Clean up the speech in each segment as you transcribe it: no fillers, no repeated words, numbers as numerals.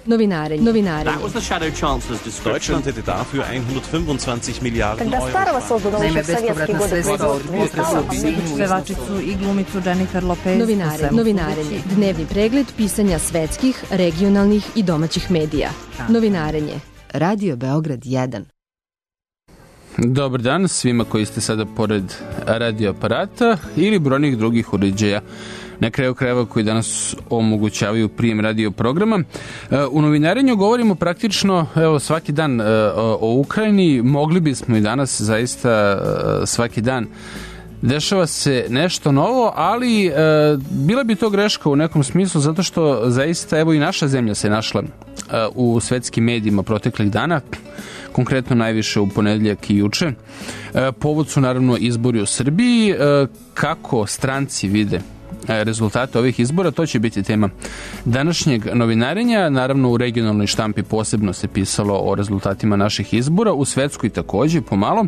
Novinarenje. Deutschland hätte dafür 125 Milijarden Euro. Naime, bespovratna sredstva od pevačicu i glumicu Jennifer Lopez. Novinarenje. Dnevni pregled pisanja svetskih, regionalnih i domaćih medija. Novinarenje. Radio Beograd 1. Dobar dan svima koji ste sada pored radio aparata ili brojnih drugih uređaja na kraju krajeva koji danas omogućavaju prijem radio programa. U novinarenju govorimo praktično svaki dan o Ukrajini. Mogli bismo i danas zaista svaki dan. Dešava se nešto novo, ali bila bi to greška u nekom smislu zato što zaista evo i naša zemlja se našla u svetskim medijima proteklih dana, konkretno najviše u ponedeljak i juče. Povod su naravno izbori u Srbiji. Kako stranci vide rezultate ovih izbora, to će biti tema današnjeg novinarenja. Naravno u regionalnoj štampi posebno se pisalo o rezultatima naših izbora, u svetskoj takođe pomalo.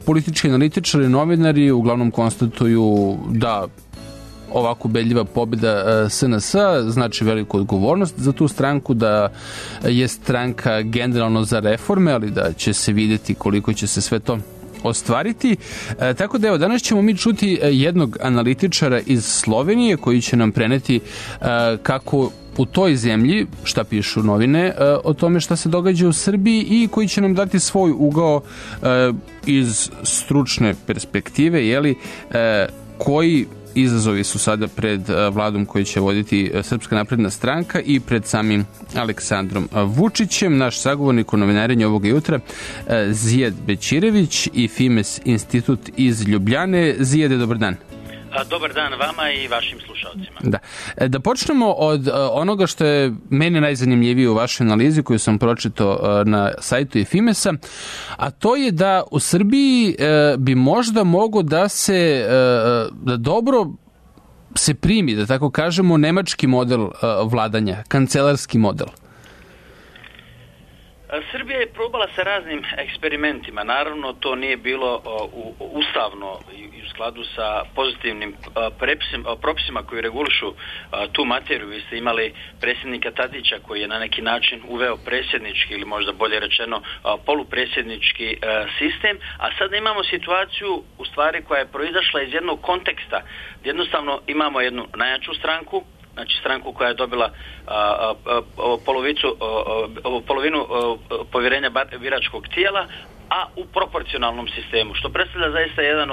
Politički analitičari, novinari uglavnom konstatuju da ovako ubedljiva pobjeda SNS znači veliku odgovornost za tu stranku, da je stranka generalno za reforme, ali da će se vidjeti koliko će se sve to ostvariti. Tako da evo, danas ćemo mi čuti jednog analitičara iz Slovenije koji će nam preneti kako u toj zemlji, šta pišu novine o tome šta se događa u Srbiji i koji će nam dati svoj ugao iz stručne perspektive, jeli, koji izazovi su sada pred vladom koju će voditi Srpska napredna stranka i pred samim Aleksandrom Vučićem. Naš sagovornik u novinarenju ovoga jutra Zijad Bećirević i Fimes institut iz Ljubljane. Zijade, dobar dan. Dobar dan vama i vašim slušalcima. Da počnemo od onoga što je meni najzanimljivije u vašoj analizi koju sam pročitao na sajtu Fimesa, a to je da u Srbiji bi možda mogo da se da dobro se primi, da tako kažemo, nemački model vladanja, kancelarski model. Srbija je probala sa raznim eksperimentima. Naravno, to nije bilo ustavno i u skladu sa pozitivnim propisima koji regulišu tu materiju. Vi ste imali predsjednika Tadića koji je na neki način uveo predsjednički ili možda bolje rečeno polupredsjednički sistem, a sada imamo situaciju u stvari koja je proizašla iz jednog konteksta. Jednostavno imamo jednu najjaču stranku, znači stranku koja je dobila polovinu povjerenja biračkog tijela, a u proporcionalnom sistemu, što predstavlja zaista jedan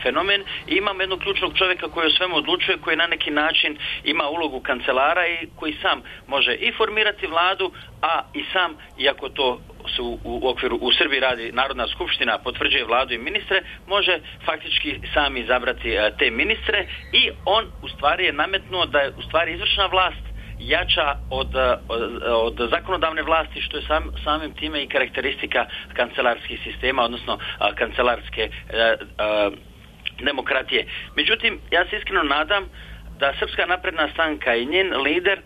fenomen. I imamo jednog ključnog čovjeka koji o svemu odlučuje, koji na neki način ima ulogu kancelara i koji sam može i formirati vladu, a i sam, iako to su u okviru u Srbiji radi Narodna skupština, potvrđuje vladu i ministre, može faktički sam izabrati te ministre i on u stvari je nametnuo da je u stvari izvršna vlast jača od zakonodavne vlasti, što je samim time i karakteristika kancelarskih sistema, odnosno kancelarske demokratije. Međutim, ja se iskreno nadam da Srpska napredna stranka i njen lider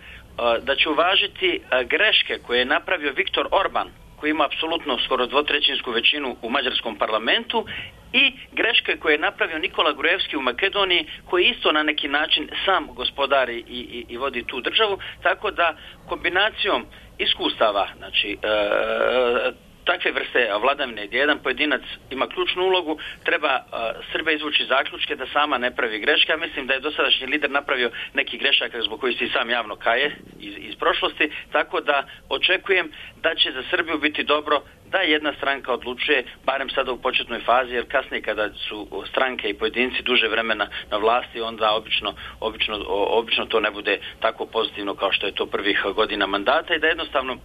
da će uvažiti greške koje je napravio Viktor Orban, koji ima apsolutno skoro dvotrećinsku većinu u mađarskom parlamentu, i greške koje je napravio Nikola Gruevski u Makedoniji, koji isto na neki način sam gospodari i vodi tu državu, tako da kombinacijom iskustava, znači takve vrste vladavine gdje jedan pojedinac ima ključnu ulogu, treba Srbija izvući zaključke da sama ne pravi greške. Ja mislim da je dosadašnji lider napravio neki grešaka zbog koji se i sam javno kaje iz prošlosti, tako da očekujem da će za Srbiju biti dobro da jedna stranka odlučuje, barem sada u početnoj fazi, jer kasnije kada su stranke i pojedinci duže vremena na vlasti, onda obično to ne bude tako pozitivno kao što je to prvih godina mandata, i da jednostavno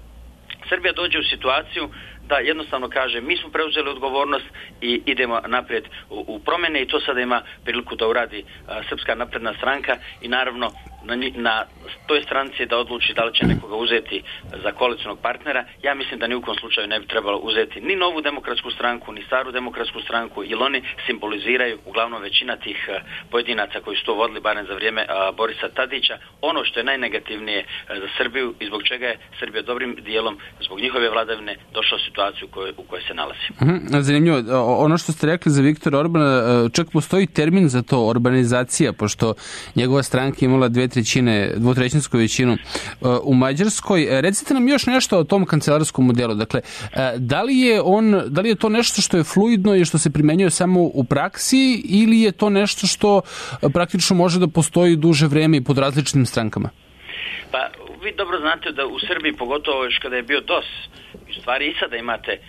Srbija dođe u situaciju da jednostavno kaže mi smo preuzeli odgovornost i idemo naprijed u promjene, i to sada ima priliku da uradi Srpska napredna stranka, i naravno na toj stranci da odluči da li će nekoga uzeti za koalicionog partnera. Ja mislim da ni u kom slučaju ne bi trebalo uzeti ni Novu demokratsku stranku, ni Staru demokratsku stranku, jer oni simboliziraju uglavnom većina tih pojedinaca koji su to vodili barem za vrijeme Borisa Tadića, ono što je najnegativnije za Srbiju i zbog čega je Srbija dobrim dijelom zbog njihove vladavine došla u situaciju u kojoj se nalazi. Zanimljivo, ono što ste rekli za Viktora Orbana, čak postoji termin za to, orbanizacija, pošto njegova stranka imala 2 dvotrećinsku većinu u Mađarskoj. Recite nam još nešto o tom kancelarskom modelu. Dakle, da li je to nešto što je fluidno i što se primenjuje samo u praksi ili je to nešto što praktično može da postoji duže vreme i pod različitim strankama? Pa, vi dobro znate da u Srbiji, pogotovo još kada je bio DOS, u stvari i sada imate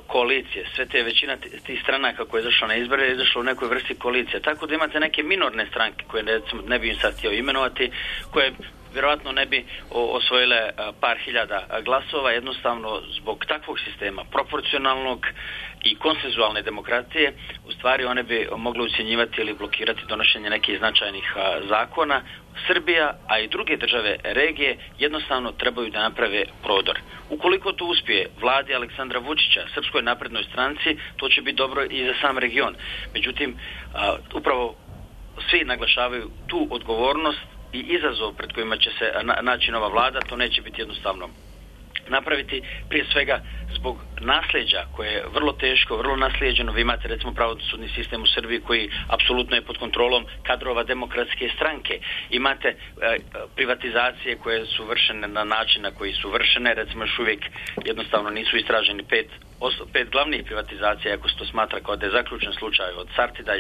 koalicije, sve te većina tih stranaka koje je izašla na izbore je izašla u nekoj vrsti koalicije, tako da imate neke minorne stranke koje recimo ne bi im sad htio imenovati, koje vjerovatno ne bi osvojile par hiljada glasova, jednostavno zbog takvog sistema, proporcionalnog i konsenzualne demokratije, u stvari one bi mogle ucjenjivati ili blokirati donošenje nekih značajnih zakona. Srbija, a i druge države regije jednostavno trebaju da naprave prodor. Ukoliko to uspije vladi Aleksandra Vučića, Srpskoj naprednoj stranci, to će biti dobro i za sam region. Međutim, upravo svi naglašavaju tu odgovornost i izazov pred kojima će se naći nova vlada, to neće biti jednostavno napraviti, prije svega zbog nasljeđa koje je vrlo teško, vrlo naslijeđeno. Vi imate recimo pravosudni sistem u Srbiji koji apsolutno je pod kontrolom kadrova demokratske stranke. Imate privatizacije koje su vršene na način na koji su vršene, recimo još uvijek jednostavno nisu istraženi pet glavnih privatizacija, ako se to smatra kao da je zaključen slučaj, od Sartida,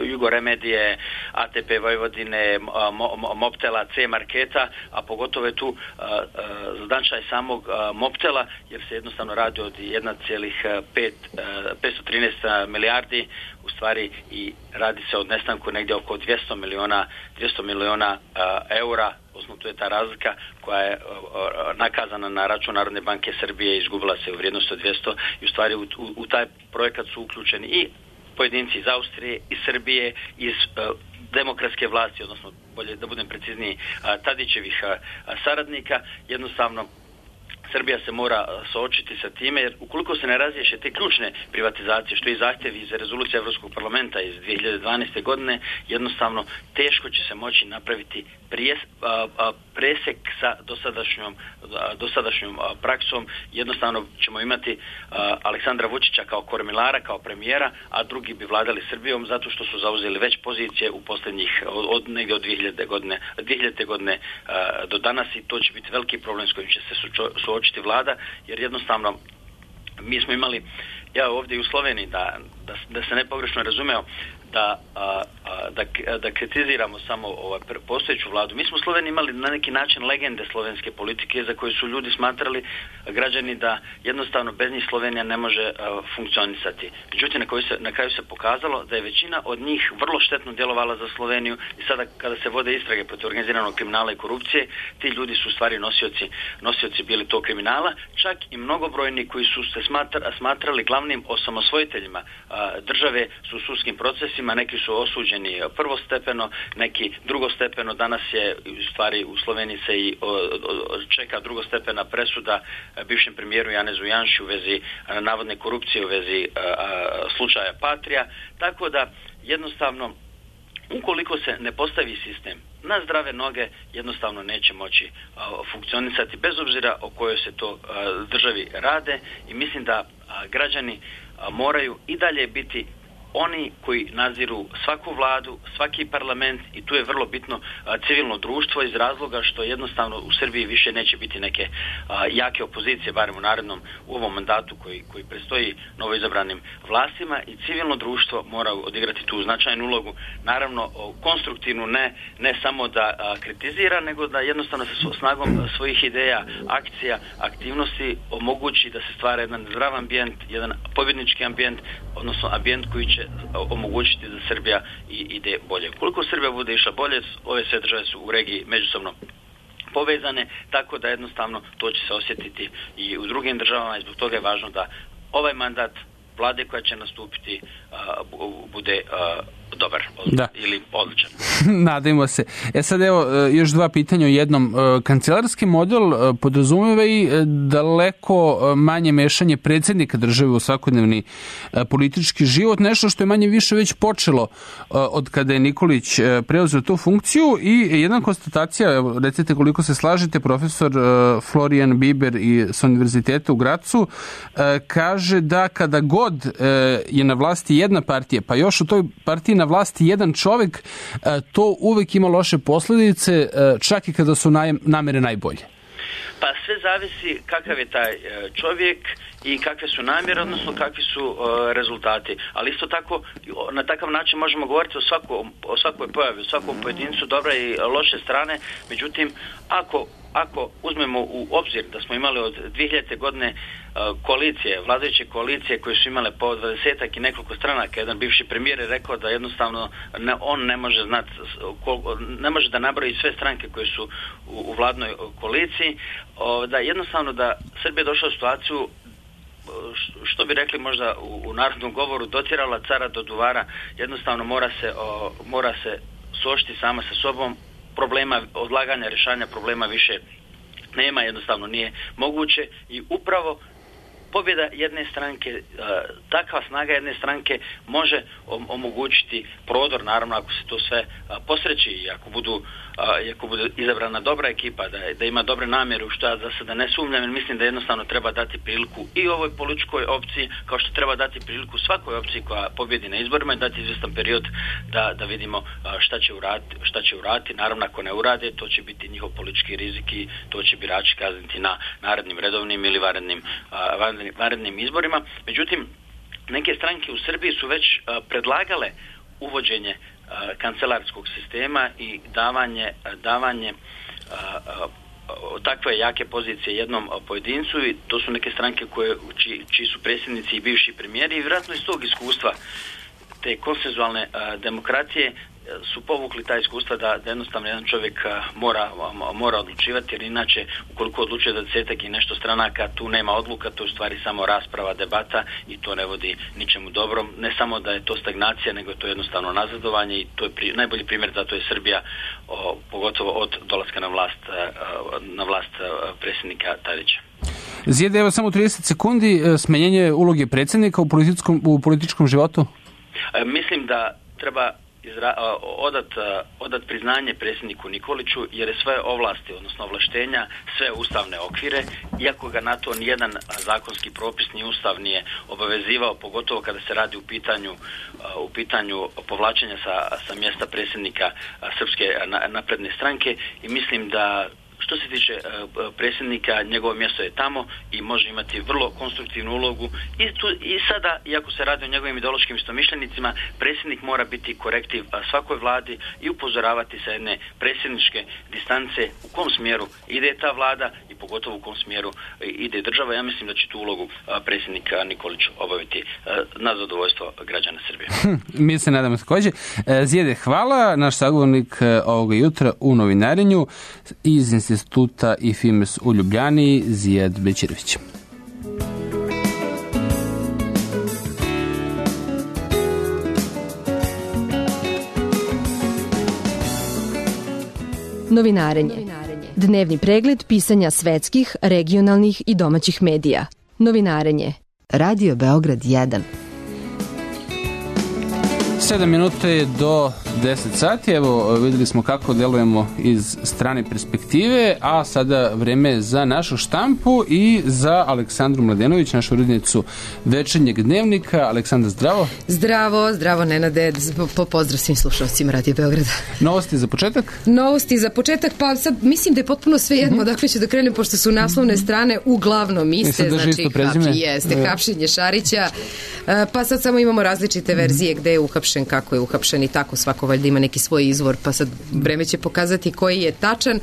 Jugoremedije, ATP Vojvodine, Mobtela, C Marketa, a pogotovo je tu značaj samog Mobtela, jer se jednostavno radi od 1,513 milijardi, u stvari i radi se od nestanku negdje oko 200 miliona eura, osnovno tu je ta razlika koja je nakazana na račun Narodne banke Srbije i izgubila se u vrijednosti od 200 i u stvari u taj projekat su uključeni i pojedinci iz Austrije, iz Srbije, iz demokratske vlasti, odnosno bolje da budem precizniji, Tadićevih saradnika. Jednostavno Srbija se mora suočiti sa time, jer ukoliko se ne razriješe te ključne privatizacije, što je zahtjev iz rezolucije Evropskog parlamenta iz 2012. godine, jednostavno teško će se moći napraviti presek sa dosadašnjom praksom. Jednostavno ćemo imati Aleksandra Vučića kao kormilara, kao premijera, a drugi bi vladali Srbijom zato što su zauzeli već pozicije u posljednjih negdje od 2000. godine do danas, i to će biti veliki problem s kojim će se suočiti vlada, jer jednostavno mi smo imali, ja ovdje u Sloveniji, da se ne pogrešno razumeo, da kritiziramo samo postojeću vladu. Mi smo u Sloveniji imali na neki način legende slovenske politike za koje su ljudi smatrali, građani, da jednostavno bez njih Slovenija ne može funkcionisati. Međutim, na kraju se pokazalo da je većina od njih vrlo štetno djelovala za Sloveniju i sada kada se vode istrage protiv organiziranog kriminala i korupcije, ti ljudi su u stvari nosioci bili tog kriminala, čak i mnogobrojni koji su se smatrali glavnim osamosvojiteljima države su u sudskim procesima. Neki su osuđeni prvostepeno, neki drugostepeno. Danas je u stvari u Sloveniji se i čeka drugostepena presuda bivšem premijeru Janezu Janši u vezi navodne korupcije, u vezi slučaja Patrija. Tako da jednostavno, ukoliko se ne postavi sistem na zdrave noge, jednostavno neće moći funkcionisati, bez obzira o kojoj se to državi rade, i mislim da građani moraju i dalje biti oni koji nadziru svaku vladu, svaki parlament, i tu je vrlo bitno civilno društvo, iz razloga što jednostavno u Srbiji više neće biti neke jake opozicije, barem u ovom mandatu koji predstoji novoizabranim vlastima, i civilno društvo mora odigrati tu značajnu ulogu, naravno konstruktivnu, ne samo da kritizira, nego da jednostavno sa snagom svojih ideja, akcija, aktivnosti omogući da se stvara jedan zdrav ambijent, jedan pobjednički ambijent, odnosno ambijent koji će omogućiti da Srbija ide bolje. Koliko Srbija bude išla bolje, ove sve države su u regiji međusobno povezane, tako da jednostavno to će se osjetiti i u drugim državama, i zbog toga je važno da ovaj mandat vlade koja će nastupiti bude dobar ili odličan. Nadajmo se. Sad evo još dva pitanja o jednom. Kancelarski model podrazumeva i daleko manje mešanje predsjednika države u svakodnevni politički život, nešto što je manje više već počelo od kada je Nikolić preuzeo tu funkciju, i jedna konstatacija, recite koliko se slažete, profesor Florian Biber s Univerziteta u Gracu kaže da kada god je na vlasti jedna partija, pa još u toj partiji na vlasti jedan čovjek, to uvek ima loše posljedice, čak i kada su namere najbolje. Pa sve zavisi kakav je taj čovjek i kakve su namjere, odnosno kakvi su rezultati. Ali isto tako, na takav način možemo govoriti o svakoj pojavi, o svakom pojedincu, dobre i loše strane. Međutim, ako uzmemo u obzir da smo imali od 2000. godine koalicije, vladajuće koalicije koje su imale po 20-ak i nekoliko stranaka, jedan bivši premijer je rekao da jednostavno on ne može znati, ne može da nabroji sve stranke koje su u vladnoj koaliciji, da jednostavno da Srbija došla u situaciju, što bi rekli možda u narodnom govoru, dotjerala cara do duvara. Jednostavno mora se suočiti sama sa sobom. Problema odlaganja, rješavanja problema više nema, jednostavno nije moguće i upravo pobjeda jedne stranke, takva snaga jedne stranke može omogućiti prodor, naravno ako se to sve posreći i ako bude izabrana dobra ekipa, da ima dobre namjere, u što ja za sada ne sumnjam, jer mislim da jednostavno treba dati priliku i ovoj političkoj opciji, kao što treba dati priliku svakoj opciji koja pobjedi na izborima i dati izvjestan period da vidimo šta će uraditi. Naravno, ako ne urade, to će biti njihov politički rizik i to će birači kazniti na narednim redovnim ili vanrednim izborima. Međutim, neke stranke u Srbiji su već predlagale uvođenje kancelarskog sistema i davanje takve jake pozicije jednom pojedincu, i to su neke stranke čiji su predsjednici i bivši premijeri, i vjerojatno iz tog iskustva te konsenzualne demokracije su povukli ta iskustva da jednostavno jedan čovjek mora odlučivati, jer inače ukoliko odlučuje da 10-ak i nešto stranaka, tu nema odluka, to je u stvari samo rasprava, debata i to ne vodi ničemu dobrom. Ne samo da je to stagnacija, nego je to jednostavno nazadovanje i to je najbolji primjer, zato je Srbija pogotovo od dolaska na vlast predsjednika Tadića. Zijede, evo samo 30 sekundi, smanjenje uloge predsjednika u političkom životu? Mislim da treba odat priznanje predsjedniku Nikoliću, jer je sve ovlasti, odnosno ovlaštenja, sve ustavne okvire, iako ga na to nijedan zakonski propis ni ustav nije obavezivao, pogotovo kada se radi u pitanju povlačenja sa mjesta predsjednika Srpske napredne stranke, i mislim da što se tiče predsjednika, njegovo mjesto je tamo i može imati vrlo konstruktivnu ulogu. I sada, iako se radi o njegovim ideološkim istomišljenicima, predsjednik mora biti korektiv svakoj vladi i upozoravati sa jedne predsjedničke distance u kom smjeru ide ta vlada i pogotovo u kom smjeru ide država. Ja mislim da će tu ulogu predsjednika Nikolić obaviti na zadovoljstvo građana Srbije. Mi se nadamo također. Zijede, hvala. Naš sagovornik ovoga jutra u novinarenju iz Instituta IFIMES u Ljubljani, Zijed Bećirović. Novinarenje. Dnevni pregled pisanja svetskih, regionalnih i domaćih medija. Novinarenje. Radio Beograd 1. 7 minuta je do 10 sati. Evo, vidjeli smo kako delujemo iz strane perspektive, a sada vreme za našu štampu i za Aleksandru Mladenović, našu urednicu Večernjeg dnevnika. Aleksandra, zdravo. Zdravo Nenade, pozdrav svim slušalcima Radio Beograda. Novosti za početak? Novosti za početak, pa sad mislim da je potpuno sve jedno, dakle ću da krenem, pošto su naslovne strane uglavnom iste, znači hapšenje Šarića, pa sad samo imamo različite verzije gde je uhapšen, kako je uhapšen i tako, svako valjda ima neki svoj izvor, pa sad vreme će pokazati koji je tačan.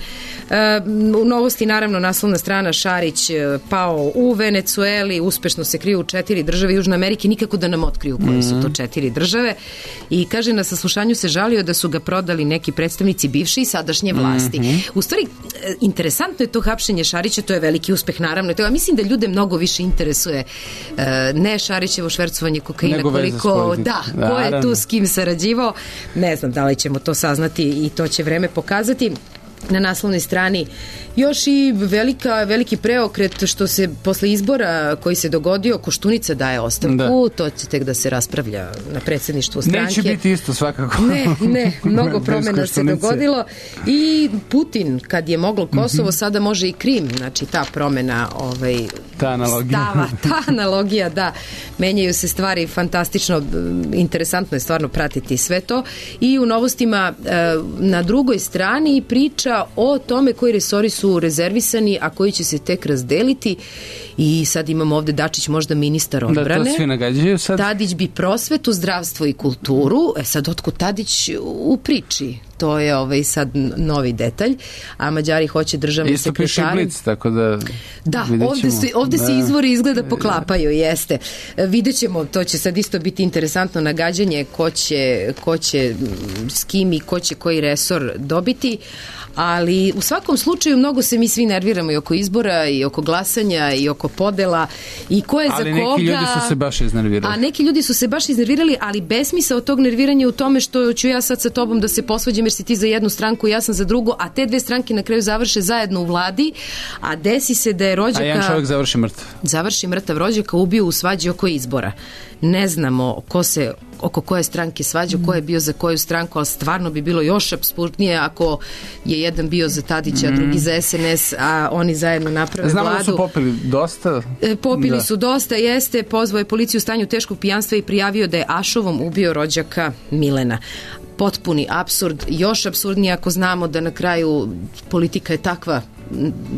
U novosti naravno naslovna strana: Šarić pao u Venecueli, uspešno se kriju u 4 države Južne Amerike, nikako da nam otkriju koje su to 4 države, i kaže na saslušanju se žalio da su ga prodali neki predstavnici bivše i sadašnje vlasti. U stvari, interesantno je to hapšenje Šarića, to je veliki uspeh naravno, ja mislim da ljude mnogo više interesuje ne Šarićevo švercovanje kokaina, koliko, ko je tu s kim sarađivao, ne znam da li ćemo to saznati i to će vreme pokazati. Na naslovnoj strani još i veliki preokret što se posle izbora koji se dogodio, Koštunica daje ostavku, to će tek da se raspravlja na predsjedništvu stranke. Neće biti isto svakako. Ne, mnogo promjena se dogodilo, i Putin kad je moglo Kosovo, sada može i Krim, znači ta promjena stava, ta analogija, da, menjaju se stvari, fantastično, interesantno je stvarno pratiti sve to. I u Novostima na drugoj strani priča o tome koji resori su rezervisani, a koji će se tek razdeliti. I sad imamo ovde Dačić, možda ministar odbrane. Da, to svi nagađaju sad. Tadić bi prosvetu, zdravstvo i kulturu. Sad otkud Tadić u priči? To je sad novi detalj. A Mađari hoće državni sekretari. Isto piše Blic, tako da... Da, ovde se izvori izgleda poklapaju, jeste. Vidjet ćemo, to će sad isto biti interesantno nagađanje ko će s kim i ko će koji resor dobiti, ali u svakom slučaju mnogo se mi svi nerviramo i oko izbora i oko glasanja i oko podela i ko je ali za koga. Ali neki ljudi su se baš iznervirali. A neki ljudi su se baš iznervirali, ali besmisao tog nerviranja u tome što ću ja sad sa tobom da se posvađam jer si ti za jednu stranku i ja sam za drugu, a te dve stranke na kraju završe zajedno u vladi, a desi se da je rođaka... A jedan čovjek završi mrtav. Završi mrtav, rođaka ubio u svađi oko izbora. Ne znamo ko se oko koje stranke svađa, ko je bio za koju stranku, ali stvarno bi bilo još apsurdnije ako je jedan bio za Tadića, a drugi za SNS, a oni zajedno naprave vladu. Znamo da su popili dosta. Popili su dosta, jeste, pozvao je policiju u stanju teškog pijanstva i prijavio da je ašovom ubio rođaka Milena. Potpuni apsurd, još apsurdnije ako znamo da na kraju politika je takva,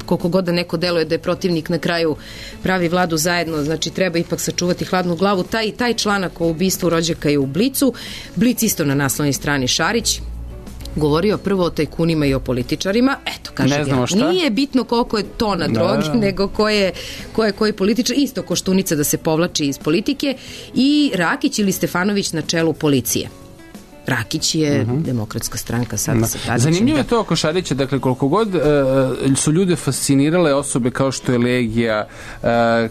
koliko god da neko deluje da je protivnik, na kraju pravi vladu zajedno, znači treba ipak sačuvati hladnu glavu. Taj članak o ubistvu rođaka je u Blicu. Blic isto na naslovnoj strani Šarić govorio prvo o tajkunima i o političarima. Eto, kaže ga, nije bitno koliko je tona droge, nego ko je koji političar. Isto Koštunica da se povlači iz politike i Rakić ili Stefanović na čelu policije. Rakić je demokratska stranka sada sa Tadićem. Zanimljivo je to oko Šarića, dakle koliko god su ljude fascinirale osobe kao što je Legija,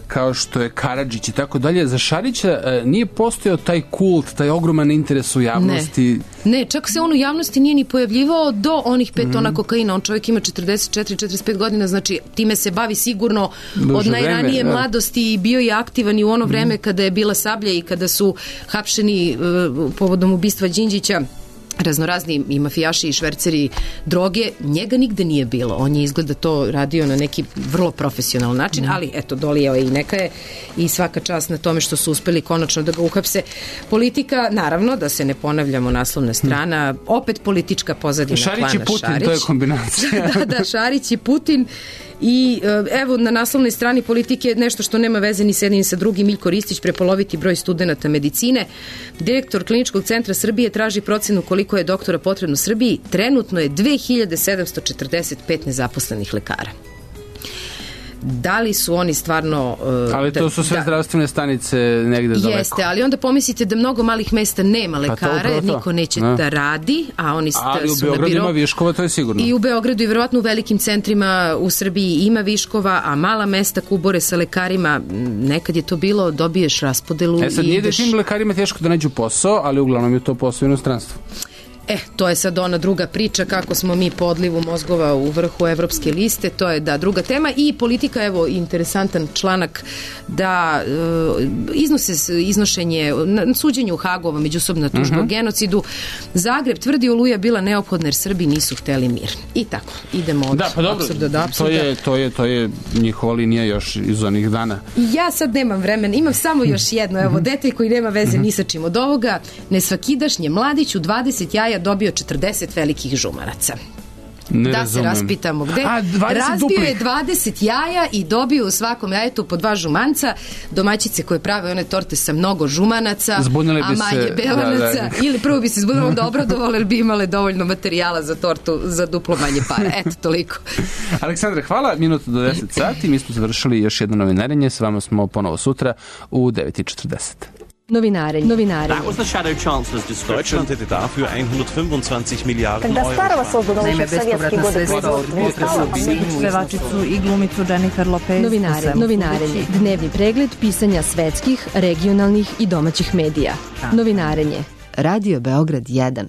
kao što je Karadžić i tako dalje, za Šarića nije postojao taj kult, taj ogroman interes u javnosti. Ne, čak se on u javnosti nije ni pojavljivao do onih 5 tona kokaina. On čovjek ima 44-45 godina, znači time se bavi sigurno od najranije mladosti i bio je aktivan i u ono vreme kada je bila Sablja i kada su hapšeni povodom ubistva Đinđića raznorazni i mafijaši i šverceri droge, njega nigde nije bilo. On je izgleda to radio na neki vrlo profesionalan način, ali eto, dolijao je i neka je i svaka čast na tome što su uspeli konačno da ga uhapse. Politika, naravno, da se ne ponavljamo, naslovna strana, opet politička pozadina Šarić klana i Putin, Šarić. To je kombinacija. Da, Šarić i Putin. I evo na naslovnoj strani Politike nešto što nema veze ni s jednim sa drugim. Miljko Ristić, prepoloviti broj studenata medicine. Direktor Kliničkog centra Srbije traži procenu koliko je doktora potrebno Srbiji. Trenutno je 2745 nezaposlenih lekara. Da li su oni stvarno... ali to su sve zdravstvene stanice negde daleko. Jeste, ali onda pomislite da mnogo malih mesta nema lekara, niko neće da radi, a oni su na biro. Ali u Beogradu ima viškova, to je sigurno. I u Beogradu i verovatno u velikim centrima u Srbiji ima viškova, a mala mesta kubore sa lekarima, nekad je to bilo, dobiješ raspodelu i sad nije da tim lekarima teško da nađu posao, ali uglavnom je to posao u inostranstvu. To je sad ona druga priča kako smo mi po odlivu mozgova u vrhu evropske liste, to je da druga tema. I Politika, evo interesantan članak da iznošenje suđenje u Hagu, međusobna tužba o genocidu. Zagreb tvrdi Oluja bila neophodna jer Srbi nisu hteli mir. I tako, idemo od apsurda do apsurda. To je njihova linija još iz onih dana. Ja sad nemam vremena, imam samo još jedno, evo, detalj koji nema veze ni sa čim od ovoga. Nesvakidašnje Mladić u 20 jaja dobio 40 velikih žumaraca. Da se raspitamo gde. Razbio je 20 jaja i dobio u svakom jajetu po 2 žumanca. Domaćice koje prave one torte sa mnogo žumanaca, a manje belanaca. Ili prvo bi se zbunilo da obradovali, jer bi imale dovoljno materijala za tortu za duplo manje para. Eto, toliko. Aleksandre, hvala. Minuta do 10 sati. Mi smo završili još jedno novinarenje. S vama smo ponovo sutra u 9:40. Novinarenje. That was the Shadow Chancellor's description. Deutschland hätte dafür 125 Milliarden Euro. Pevačicu i glumicu Jennifer Lopez. Novinarenje. Dnevni pregled pisanja svetskih, regionalnih i domaćih medija. Novinarenje. Radio Beograd 1.